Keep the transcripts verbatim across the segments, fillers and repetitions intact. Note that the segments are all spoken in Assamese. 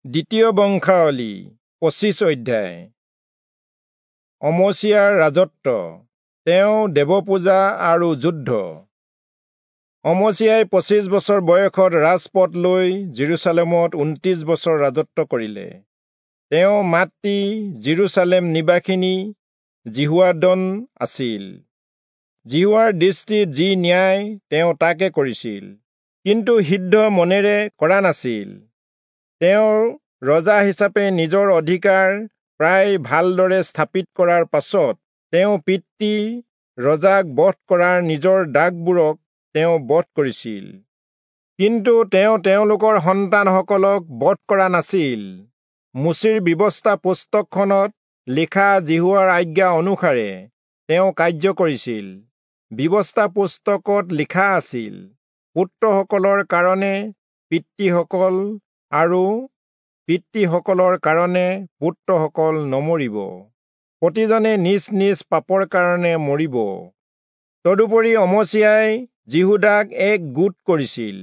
দ্বিতীয় বংশাৱলী পঁচিছ অধ্যায়। অমচিয়াৰ ৰাজত্ব, তেওঁ দেৱপূজা আৰু যুদ্ধ। অমচিয়াই পঁচিছ বছৰ বয়সত ৰাজপদ লৈ যিৰূচালেমত ঊনত্ৰিশ বছৰ ৰাজত্ব কৰিলে। তেওঁ মাতৃ যিৰূচালেম নিবাসিনী যিহোৱাদন আছিল। যিহোৱাৰ দৃষ্টিত যি ন্যায় তেওঁ তাকে কৰিছিল, কিন্তু সিদ্ধ মনেৰে কৰা নাছিল। তেওঁ ৰজা হিচাপে নিজৰ অধিকাৰ প্ৰায় ভালদৰে স্থাপিত কৰাৰ পাছত তেওঁ পিতৃ ৰজাক বধ কৰাৰ নিজৰ দাসবোৰক তেওঁ বধ কৰিছিল, কিন্তু তেওঁ তেওঁলোকৰ সন্তানসকলক বধ কৰা নাছিল। মোচিৰ ব্যৱস্থা পুস্তকখনত লিখা যিহোৱাৰ আজ্ঞা অনুসাৰে তেওঁ কাৰ্য কৰিছিল। ব্যৱস্থা পুস্তকত লিখা আছিল, পুত্ৰসকলৰ কাৰণে পিতৃসকল আৰু পিতৃসকলৰ কাৰণে পুত্ৰসকল নমৰিব, প্ৰতিজনে নিজ নিজ পাপৰ কাৰণে মৰিব। তদুপৰি অমচিয়াই যিহূদাক এক গোট কৰিছিল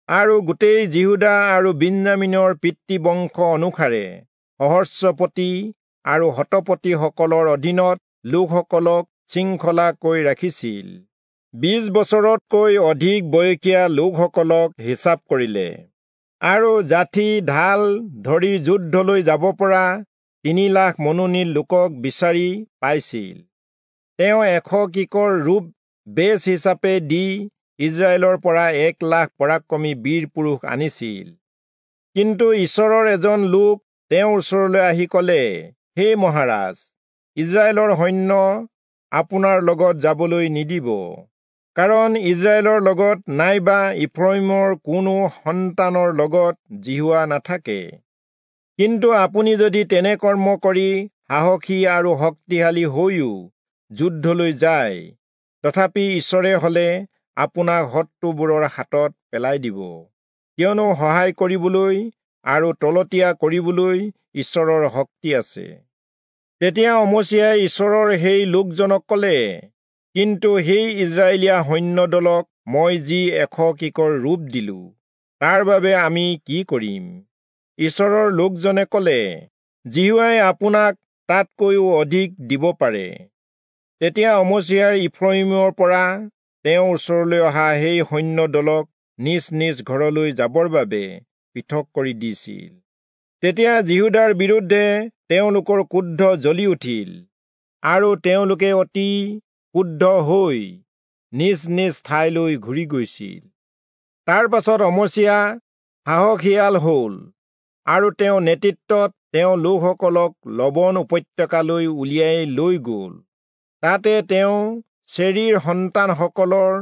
আৰু গোটেই যিহূদা আৰু বিন্যামীনৰ পিতৃবংশ অনুসাৰে সহস্ৰপতি আৰু শতপতিসকলৰ অধীনত লোকসকলক শৃংখলাকৈ ৰাখিছিল। বিশ বছৰতকৈ অধিক বয়সীয়া লোকসকলক হিচাপ কৰিলে আৰু যাঠি ঢাল ধৰি যুদ্ধলৈ যাব পৰা তিনি লাখ মনোনীত লোকক বিচাৰি পাইছিল। তেওঁ এশ কিকৰ ৰূপ বেচ হিচাপে দি ইজৰাইলৰ পৰা এক লাখ পৰাক্ৰমী বীৰ পুৰুষ আনিছিল। কিন্তু ঈশ্বৰৰ এজন লোক তেওঁৰ ওচৰলৈ আহি কলে, হে মহাৰাজ, ইজৰাইলৰ সৈন্য আপোনাৰ লগত যাবলৈ নিদিব, কাৰণ ইজৰাইলৰ লগত নাইবা ইফ্ৰয়িমৰ কোনো সন্তানৰ লগত যিহোৱা নাথাকে। কিন্তু আপুনি যদি তেনে কৰ্ম কৰি সাহসী আৰু শক্তিশালী হৈও যুদ্ধলৈ যায়, তথাপি ঈশ্বৰে হলে আপোনাক শত্ৰুবোৰৰ হাতত পেলাই দিব, কিয়নো সহায় কৰিবলৈ আৰু তলতীয়া কৰিবলৈ ঈশ্বৰৰ শক্তি আছে। তেতিয়া অমচিয়াই ঈশ্বৰৰ সেই লোকজনক কলে, কিন্তু সেই ইজৰাইলীয়া সৈন্যদলক মই যি এশ কিকৰ ৰূপ দিলো, তাৰ বাবে আমি কি কৰিম? ঈশ্বৰৰ লোকজনে কলে, যিহোৱাই আপোনাক তাতকৈও অধিক দিব পাৰে। তেতিয়া অমচিয়াই ইফ্ৰয়িমৰ পৰা তেওঁৰ ওচৰলৈ অহা সেই সৈন্যদলক নিজ নিজ ঘৰলৈ যাবৰ বাবে পৃথক কৰি দিছিল। তেতিয়া যিহূদাৰ বিৰুদ্ধে তেওঁলোকৰ ক্ৰোধ জ্বলি উঠিল আৰু তেওঁলোকে অতি ক্ৰুদ্ধ হৈ নিজ নিজ ঠাইলৈ ঘূৰি গৈছিল। তাৰ পাছত অমচিয়া সাহসিয়াল হল আৰু তেওঁ নেতৃত্বত তেওঁ লোকসকলক লবণ উপত্যকালৈ উলিয়াই লৈ গল। তাতে তেওঁ চেৰীৰ সন্তানসকলৰ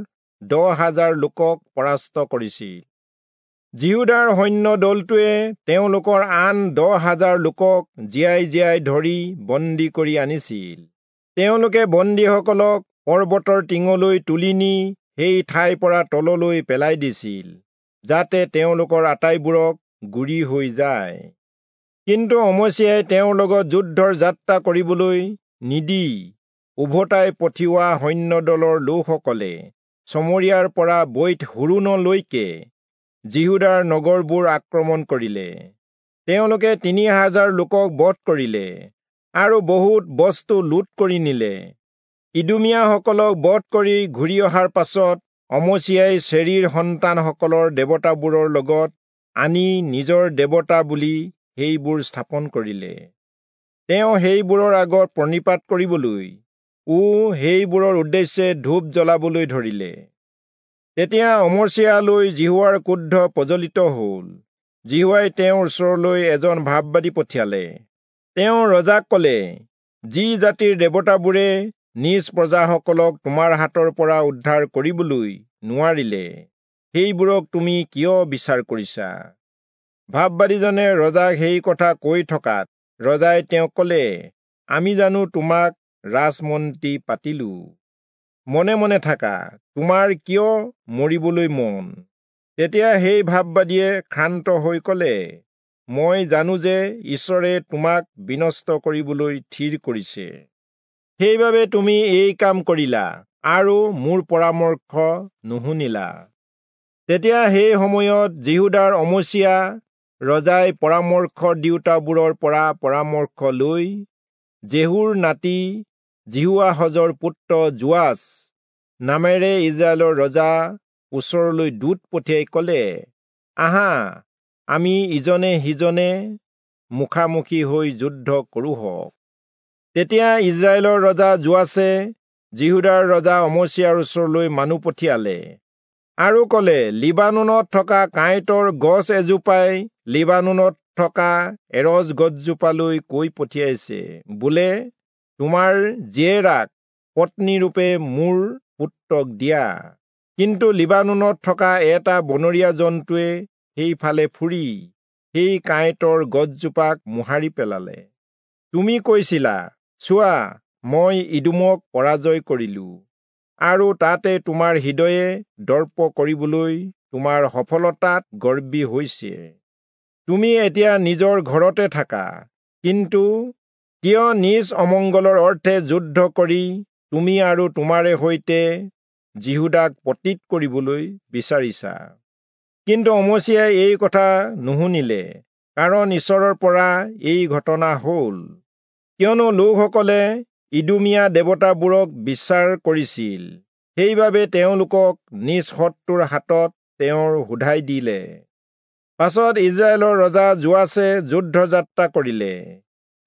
দহ হাজাৰ লোকক পৰাস্ত কৰিছিল। যিহূদাৰ সৈন্য দলটোৱে তেওঁলোকৰ আন দহ হাজাৰ লোকক জীয়াই জীয়াই ধৰি বন্দী কৰি আনিছিল। তেওঁলোকে বন্দীসকলক পৰ্বতৰ টিঙলৈ তুলি নি সেই ঠাইৰ পৰা তললৈ পেলাই দিছিল, যাতে তেওঁলোকৰ আটাইবোৰক গুৰি হৈ যায়। কিন্তু অমচিয়াই তেওঁৰ লগত যুদ্ধৰ যাত্ৰা কৰিবলৈ নিদি উভতাই পঠিওৱা সৈন্যদলৰ লোকসকলে চমৰীয়াৰ পৰা বৈৎ হোৰোণলৈকে যিহূদাৰ নগৰবোৰ আক্ৰমণ কৰিলে। তেওঁলোকে তিনি হাজাৰ লোকক বধ কৰিলে আৰু বহুত বস্তু লুট কৰি নিলে। ইদুমীয়াসকলক বধ কৰি ঘূৰি অহাৰ পাছত অমচিয়াই চেৰীৰ সন্তানসকলৰ দেৱতাবোৰৰ লগত আনি নিজৰ দেৱতা বুলি সেইবোৰ স্থাপন কৰিলে। তেওঁ সেইবোৰৰ আগত প্ৰণিপাত কৰিবলৈ ও সেইবোৰৰ উদ্দেশ্যে ধূপ জ্বলাবলৈ ধৰিলে। তেতিয়া অমচিয়ালৈ যিহোৱাৰ ক্ৰোধ প্ৰজ্বলিত হল। যিহোৱাই তেওঁৰ ওচৰলৈ এজন ভাববাদী পঠিয়ালে। তেওঁ ৰজাক কলে, যি জাতিৰ দেৱতাবোৰে নিজ প্ৰজাসকলক তোমাৰ হাতৰ পৰা উদ্ধাৰ কৰিবলৈ নোৱাৰিলে, সেইবোৰক তুমি কিয় বিচাৰ কৰিছা? ভাববাদীজনে ৰজাক সেই কথা কৈ থকাত ৰজাই তেওঁক কলে, আমি জানো তোমাক ৰাজমন্ত্ৰী পাতিলো? মনে মনে থাকা, তোমাৰ কিয় মৰিবলৈ মন? তেতিয়া সেই ভাববাদীয়ে ক্ষান্ত হৈ কলে, মই জানো যে ঈশ্বৰে তোমাক বিনষ্ট কৰিবলৈ থিৰ কৰিছে, সেইবাবে তুমি এই কাম কৰিলা আৰু মোৰ পৰামৰ্শ নুশুনিলা। তেতিয়া সেই সময়ত যিহূদাৰ অমচিয়া ৰজাই পৰামৰ্শ দিওঁতাবোৰৰ পৰা পৰামৰ্শ লৈ জেহুৰ নাতি যিহোৱাহজৰ পুত্ৰ যোৱাচ নামেৰে ইজৰাইলৰ ৰজা ওচৰলৈ দূত পঠিয়াই কলে, আহা, আমি ইজনে সিজনে মুখামুখি হৈ যুদ্ধ কৰোঁহক। তেতিয়া ইজৰাইলৰ ৰজা যোৱাচে যিহূদাৰ ৰজা অমচিয়াৰ ওচৰলৈ মানুহ পঠিয়ালে আৰু কলে, লিবানোনত থকা কাঁইটৰ গছ এজোপাই লিবানোনত থকা এৰজ গছজোপালৈ কৈ পঠিয়াইছে, বোলে, তোমাৰ জীয়েৰাক পত্নীৰূপে মোৰ পুত্ৰক দিয়া। কিন্তু লিবানোনত থকা এটা বনৰীয়া জন্তুৱে সেইফালে ফুৰি সেই কাঁইটৰ গছজোপাক মোহাৰি পেলালে। তুমি কৈছিলা, চোৱা, মই ইদোমক পৰাজয় কৰিলো, আৰু তাতে তোমাৰ হৃদয়ে দৰ্প কৰিবলৈ তোমাৰ সফলতাত গৰ্বী হৈছে। তুমি এতিয়া নিজৰ ঘৰতে থাকা, কিন্তু কিয় নিজ অমংগলৰ অৰ্থে যুদ্ধ কৰি তুমি আৰু তোমাৰে সৈতে যিহূদাক পতিত কৰিবলৈ বিচাৰিছা? কিন্তু অমচিয়াই এই কথা নুশুনিলে, কাৰণ ঈশ্বৰৰ পৰা এই ঘটনা হ'ল, কিয়নো লোকসকলে ইদোমীয়া দেৱতাবোৰক বিচাৰ কৰিছিল, সেইবাবে তেওঁলোকক নিজ শত্ৰুৰ হাতত তেওঁৰ শোধাই দিলে। পাছত ইজৰাইলৰ ৰজা যোৱাচে যুদ্ধ যাত্ৰা কৰিলে।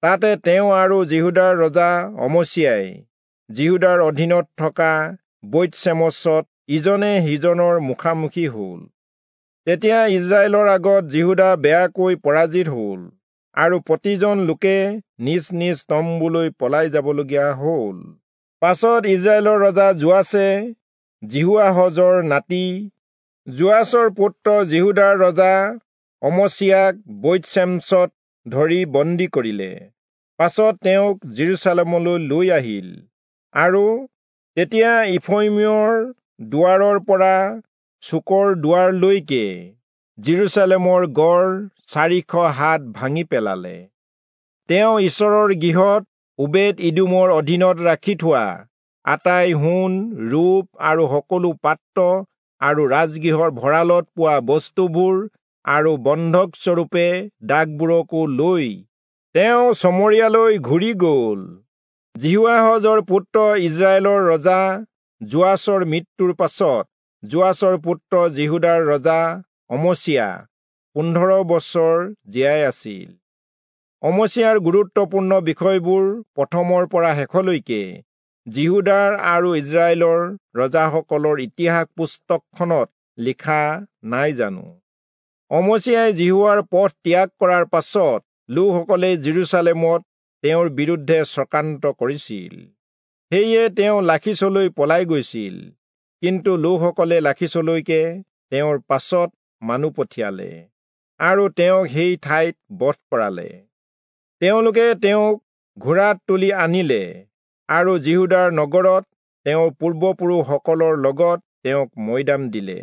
তাতে তেওঁ আৰু যিহূদাৰ ৰজা অমচিয়াই যিহূদাৰ অধীনত থকা বৈৎচেমচত ইজনে সিজনৰ মুখামুখি হ'ল। তেতিয়া ইজৰাইলৰ আগত যিহূদা বেয়াকৈ পৰাজিত হ'ল, আৰু প্ৰতিজন লোকে নিজ নিজ তম্বুলৈ পলাই যাবলগীয়া হ'ল। পাছত ইজৰাইলৰ ৰজা যোৱাচে যিহোৱাহজৰ নাতি যোৱাচৰ পুত্ৰ যিহূদাৰ ৰজা অমচিয়াক বৈৎচেমচত ধৰি বন্দী কৰিলে। পাছত তেওঁক যিৰূচালেমলৈ লৈ আহিল, আৰু তেতিয়া ইফ্ৰয়িমৰ দুৱাৰৰ পৰা চুকৰ দুৱাৰলৈকে যিৰূচালেমৰ গড় চাৰিশ হাত ভাঙি পেলালে। তেওঁ ঈশ্বৰৰ গৃহত ওবেদ ইদোমৰ অধীনত ৰাখি থোৱা আটাই সোণ ৰূপ আৰু সকলো পাত্ৰ আৰু ৰাজগৃহৰ ভঁৰালত পোৱা বস্তুবোৰ আৰু বন্ধকস্বৰূপে দাসবোৰকো লৈ তেওঁ চমৰীয়ালৈ ঘূৰি গ'ল। যিহোৱাহজৰ পুত্ৰ ইজৰাইলৰ ৰজা যোৱাচৰ মৃত্যুৰ পাছত যোৱাচৰ পুত্ৰ যিহূদাৰ ৰজা অমচিয়া পোন্ধৰ বছৰ জীয়াই আছিল। অমচিয়াৰ গুৰুত্বপূৰ্ণ বিষয়বোৰ প্ৰথমৰ পৰা শেষলৈকে যিহূদাৰ আৰু ইজৰাইলৰ ৰজাসকলৰ ইতিহাস পুস্তকখনত লিখা নাই জানো? অমচিয়াই যিহোৱাৰ পথ ত্যাগ কৰাৰ পাছত লোকসকলে যিৰূচালেমত তেওঁৰ বিৰুদ্ধে চক্ৰান্ত কৰিছিল। সেয়ে তেওঁ লাখীচলৈ পলাই গৈছিল, কিন্তু লোকসকলে লাখীচলৈকে তেওঁৰ পাছত মানুহ পঠিয়ালে আৰু তেওঁক সেই ঠাইত বধ কৰালে। তেওঁলোকে তেওঁক ঘোঁৰাত তুলি আনিলে আৰু যিহূদাৰ নগৰত তেওঁৰ পূৰ্বপুৰুষসকলৰ লগত তেওঁক মৈদাম দিলে।